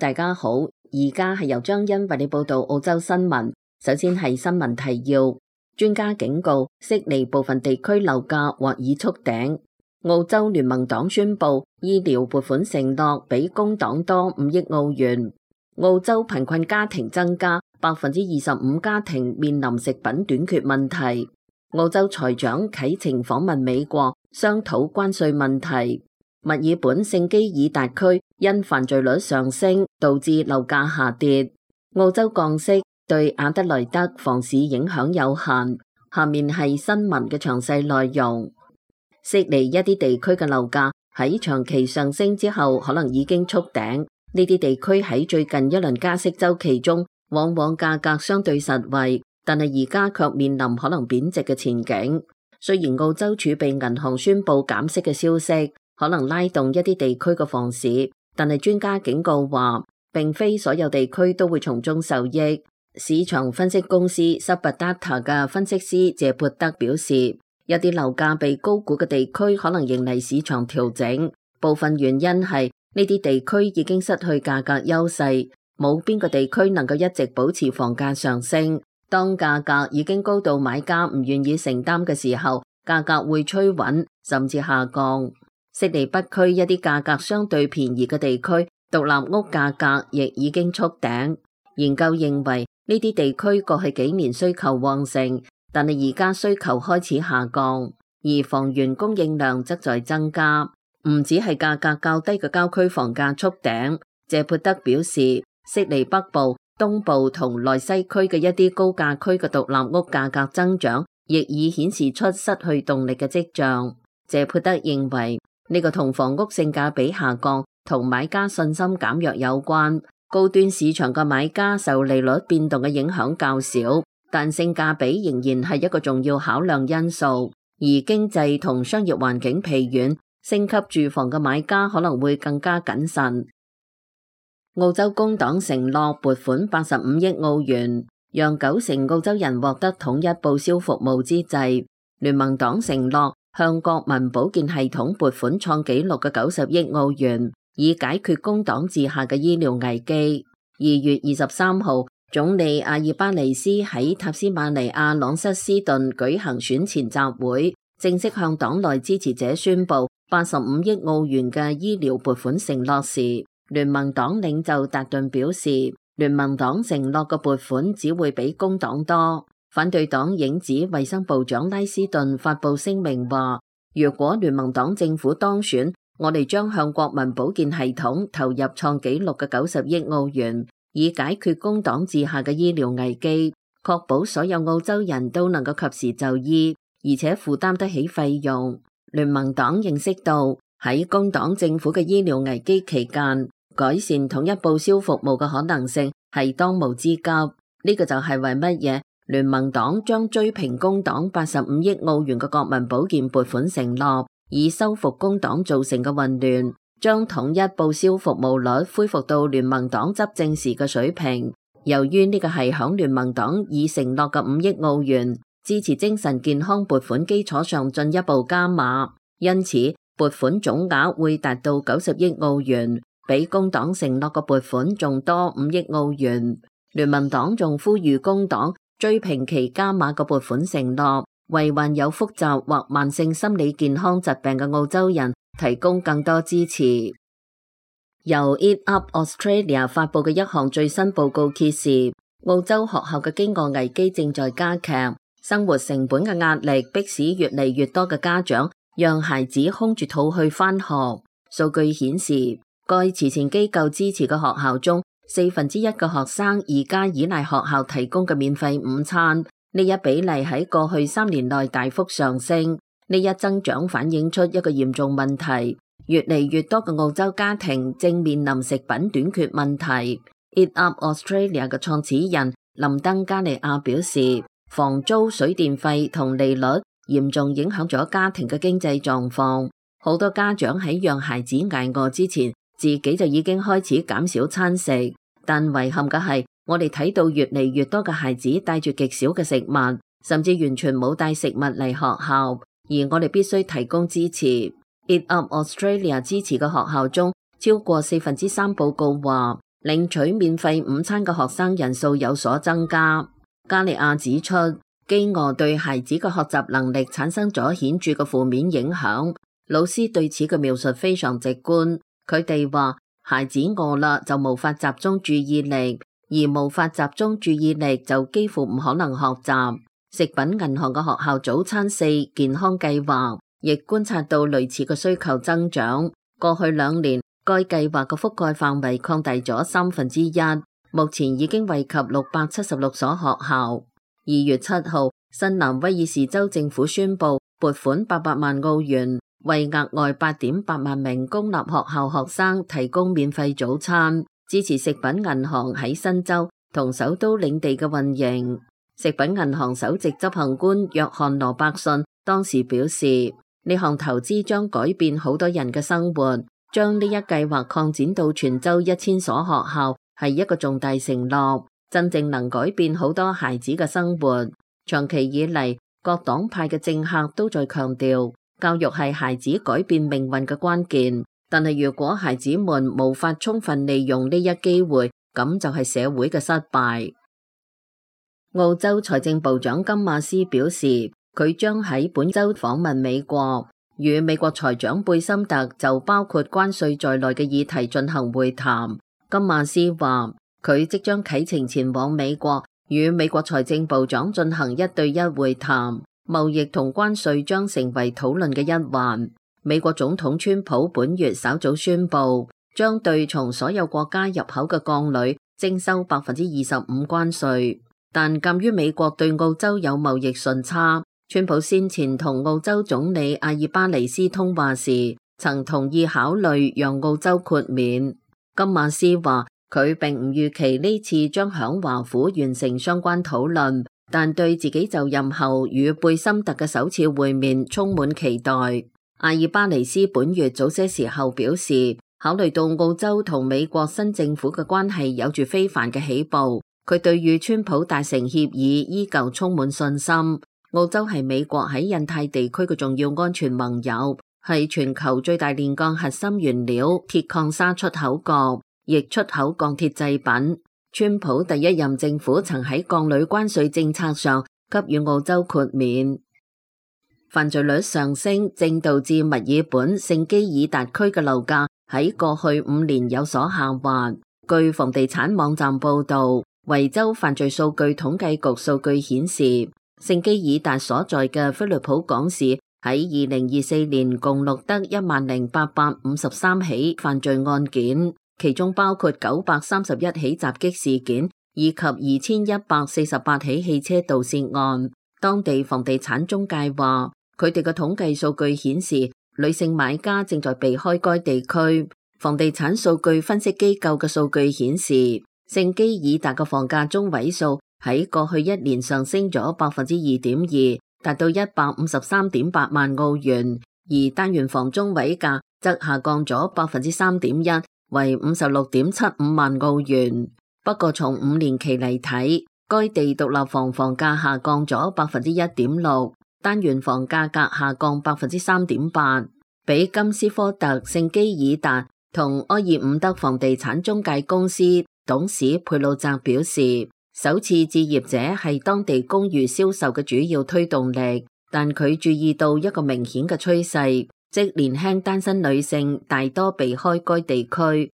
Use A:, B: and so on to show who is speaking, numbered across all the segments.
A: 大家好，而家係由張欣為你報道澳洲新聞。首先係新聞提要，專家警告悉尼部分地區樓價或已觸頂。澳洲聯盟黨宣布醫療撥款承諾比工黨多5億澳元。澳洲貧困家庭增加，25%家庭面臨食品短缺問題。澳洲財長啟程訪問美國，商討關稅問題。墨爾本聖基爾達區因犯罪率上升，導致樓價下跌。澳洲降息對阿德萊德房市影響有限。下面係新聞嘅詳細內容。悉尼一啲地區嘅樓價喺長期上升之後，可能已經觸頂。呢啲地區喺最近一輪加息週期中，往往價格相對實惠，但係而家卻面臨可能貶值嘅前景。雖然澳洲儲備銀行宣布減息嘅消息可能拉動一啲地區嘅房市，但係專家警告話，並非所有地區都會從中受益。市場分析公司 Suberdata 嘅分析師謝潑德表示，一啲樓價被高估嘅地區可能迎嚟市場調整，部分原因係呢啲地區已經失去價格優勢，冇邊個地區能夠一直保持房價上升。當價格已經高到買家唔願意承擔嘅時候，價格會趨穩甚至下降。悉尼北區一啲價格相對便宜嘅地區，獨立屋價格亦已經觸頂。研究認為呢啲地區過去幾年需求旺盛，但係而家需求開始下降，而房源供應量則在增加。唔止係價格較低嘅郊區房價觸頂，謝潑德表示，悉尼北部、東部同內西區嘅一啲高價區嘅獨立屋價格增長，亦已顯示出失去動力嘅跡象。謝潑德認為，呢個同房屋性價比下降同買家信心減弱有關。高端市場嘅買家受利率變動嘅影響較少，但性價比仍然係一個重要考量因素。而經濟同商業環境疲軟，升級住房嘅買家可能會更加謹慎。澳洲工黨承諾撥款85億澳元，讓90%澳洲人獲得統一報銷服務之際，聯盟黨承諾向國民保健系統撥款創紀錄嘅90億澳元，以解決工黨治下嘅醫療危機。2月23號，總理阿爾巴尼斯喺塔斯馬尼亞朗瑟斯頓舉行選前集會，正式向黨內支持者宣布85億澳元嘅醫療撥款承諾時，聯盟黨領袖達頓表示，聯盟黨承諾嘅撥款只會比工黨多。反對黨影子衛生部長拉斯頓發布聲明話，如果聯盟黨政府當選，我哋將向國民保健系統投入創紀錄嘅90億澳元，以解決工黨治下嘅醫療危機，確保所有澳洲人都能夠及時就醫，而且負擔得起費用。聯盟黨認識到喺工黨政府嘅醫療危機期間，改善統一報銷服務嘅可能性係當務之急。呢個就係為乜嘢聯盟黨將追平工黨85億澳元嘅國民保健撥款承諾，以修復工黨造成嘅混亂，將統一報銷服務率恢復到聯盟黨執政時嘅水平。由於呢個係響聯盟黨已承諾嘅5億澳元支持精神健康撥款基礎上進一步加碼，因此撥款總額會達到90億澳元，比工黨承諾嘅撥款仲多5億澳元。聯盟黨仲呼籲工黨追平其加碼嘅撥款承諾，為患有複雜或慢性心理健康疾病嘅澳洲人提供更多支持。由 Eat Up Australia 發佈嘅一項最新報告揭示，澳洲學校嘅飢餓危機正在加劇，生活成本嘅壓力迫使越嚟越多嘅家長讓孩子空住肚去返學。數據顯示，該慈善機構支持嘅學校中1/4嘅學生而家依賴學校提供嘅免費午餐，呢一比例喺過去3年內大幅上升。呢一增長反映出一個嚴重問題，越嚟越多嘅澳洲家庭正面臨食品短缺問題。Eat Up Australia 嘅創始人林登加利亞表示，房租、水電費同利率嚴重影響咗家庭嘅經濟狀況。好多家長喺讓孩子捱餓之前，自己就已經開始減少餐食。但遺憾嘅係，我哋睇到越嚟越多嘅孩子帶住極少嘅食物，甚至完全冇帶食物嚟學校，而我哋必須提供支持。Eat Up Australia 支持嘅學校中，超過3/4報告話，領取免費午餐嘅學生人數有所增加。加利亞指出，飢餓對孩子嘅學習能力產生咗顯著嘅負面影響。老師對此嘅描述非常直觀，佢哋話孩子餓啦就無法集中注意力，而無法集中注意力就幾乎唔可能學習。食品銀行嘅學校早餐4健康計劃亦觀察到類似嘅需求增長。過去2年，該計劃嘅覆蓋範圍擴大咗1/3，目前已經惠及676所學校。2月7號，新南威爾士州政府宣布撥款800萬澳元，為額外8.8萬名公立學校學生提供免費早餐，支持食品銀行喺新州同首都領地嘅運營。食品銀行首席執行官約翰羅伯遜當時表示，呢項投資將改變好多人嘅生活，將呢一計劃擴展到全州1000所學校係一個重大承諾，真正能改變好多孩子嘅生活。長期以嚟，各黨派嘅政客都在強調，教育係孩子改變命運嘅關鍵，但係如果孩子們無法充分利用呢一機會，咁就係社會嘅失敗。澳洲財政部長金馬斯表示，佢將喺本周訪問美國，與美國財長貝森特就包括關稅在內嘅議題進行會談。金馬斯話，佢即將啟程前往美國，與美國財政部長進行1對1會談，貿易同關稅將成為討論嘅一環。美國總統川普本月稍早宣布，將對從所有國家入口嘅鋼鋁徵收25%關稅。但鑒於美國對澳洲有貿易順差，川普先前同澳洲總理阿爾巴尼斯通話時，曾同意考慮讓澳洲豁免。金馬斯話，佢並唔預期呢次將響華府完成相關討論，但對自己就任後與貝森特嘅首次會面充滿期待。阿爾巴尼斯本月早些時候表示，考慮到澳洲同美國新政府嘅關係有住非凡嘅起步，佢對與川普達成協議依舊充滿信心。澳洲係美國喺印太地區嘅重要安全盟友，係全球最大煉鋼核心原料鐵礦砂出口國，亦出口鋼鐵製品。川普第一任政府曾喺鋼鋁關稅政策上給予澳洲豁免。犯罪率上升正導致墨爾本聖基爾達區嘅樓價喺過去5年有所下滑。據房地產網站報道，維州犯罪數據統計局數據顯示，聖基爾達所在嘅菲律普港市喺2024年共錄得10,853起犯罪案件，其中包括931起襲擊事件以及2148起汽車盜竊案。當地房地產中介話，佢哋嘅統計數據顯示，女性買家正在避開該地區。房地產數據分析機構嘅數據顯示，聖基爾達嘅房價中位數喺過去1年上升咗2.2%，達到153.8萬澳元，而單元房中位價則下降咗3.1%，為56.75萬澳元。不過從5年期嚟睇，該地獨立房房價下降咗1.6%，單元房價格下降3.8%。比金斯科特聖基爾達同埃爾伍德房地產中介公司董事佩魯澤表示，首次置業者係當地公寓銷售嘅主要推動力，但佢注意到一個明顯嘅趨勢，即年輕單身女性大多避開該地區。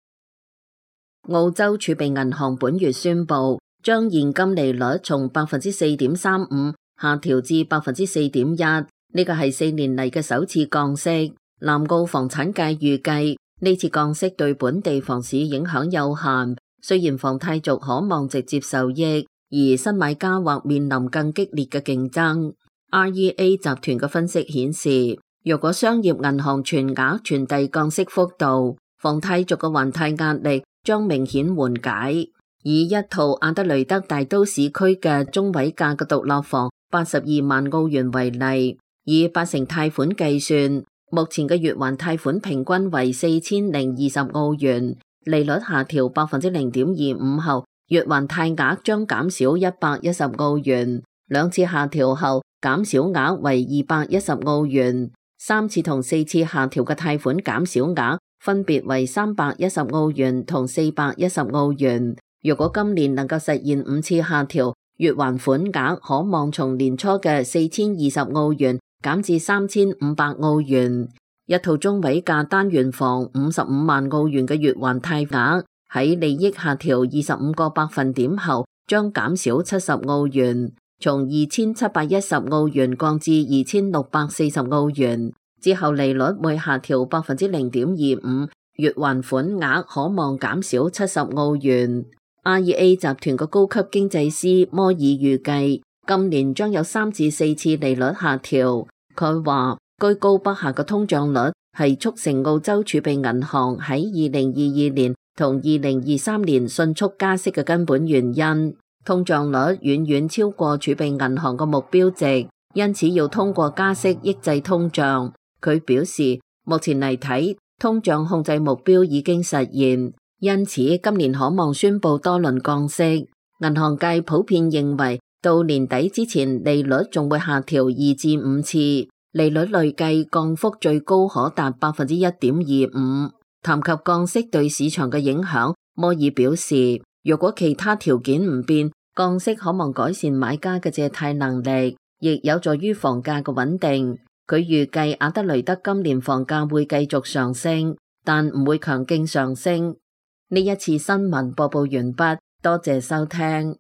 A: 澳洲儲備銀行本月宣布，將現金利率從4.35%下調至4.1%，呢個係4年嚟嘅首次降息。南澳房產界預計呢次降息對本地房市影響有限，雖然房貸族可望直接受益，而新買家或面臨更激烈嘅競爭。REA 集團嘅分析顯示，若果商業銀行全額傳遞降息幅度，房貸族嘅還貸壓力將明顯緩解。以一套阿德雷德大都市區嘅中位價嘅獨立房82萬澳元為例，以80%貸款計算，目前嘅月還貸款平均為4020澳元，利率下調0.25%後，月還貸額將減少110澳元，兩次下調後減少額為210澳元，三次同4次下調嘅貸款減少額分別為310澳元同410澳元。如果今年能夠實現5次下調，月還款額可望從年初嘅4020澳元減至3500澳元。一套中位價單元房55萬澳元嘅月還貸額喺利益下調25個百分點後，將減少70澳元，從2710澳元降至2640澳元。之後利率會下調0.25%，月還款額可望減少70澳元。REA 集團嘅高級經濟師摩爾預計，今年將有3至4次利率下調。佢話，居高不下嘅通脹率係促成澳洲儲備銀行喺2022年同2023年迅速加息嘅根本原因。通脹率遠遠超過儲備銀行嘅目標值，因此要通過加息抑制通脹。佢表示，目前嚟睇，通脹控制目標已經實現，因此今年可望宣布多輪降息。銀行界普遍認為，到年底之前利率仲會下調2至5次，利率累計降幅最高可達1.25%。談及降息對市場嘅影響，摩爾表示，如果其他條件唔變，降息可望改善買家嘅借貸能力，亦有助於房價嘅穩定。佢預計阿德雷德今年房價會繼續上升，但唔會強勁上升。呢一次新聞播報完畢，多謝收聽。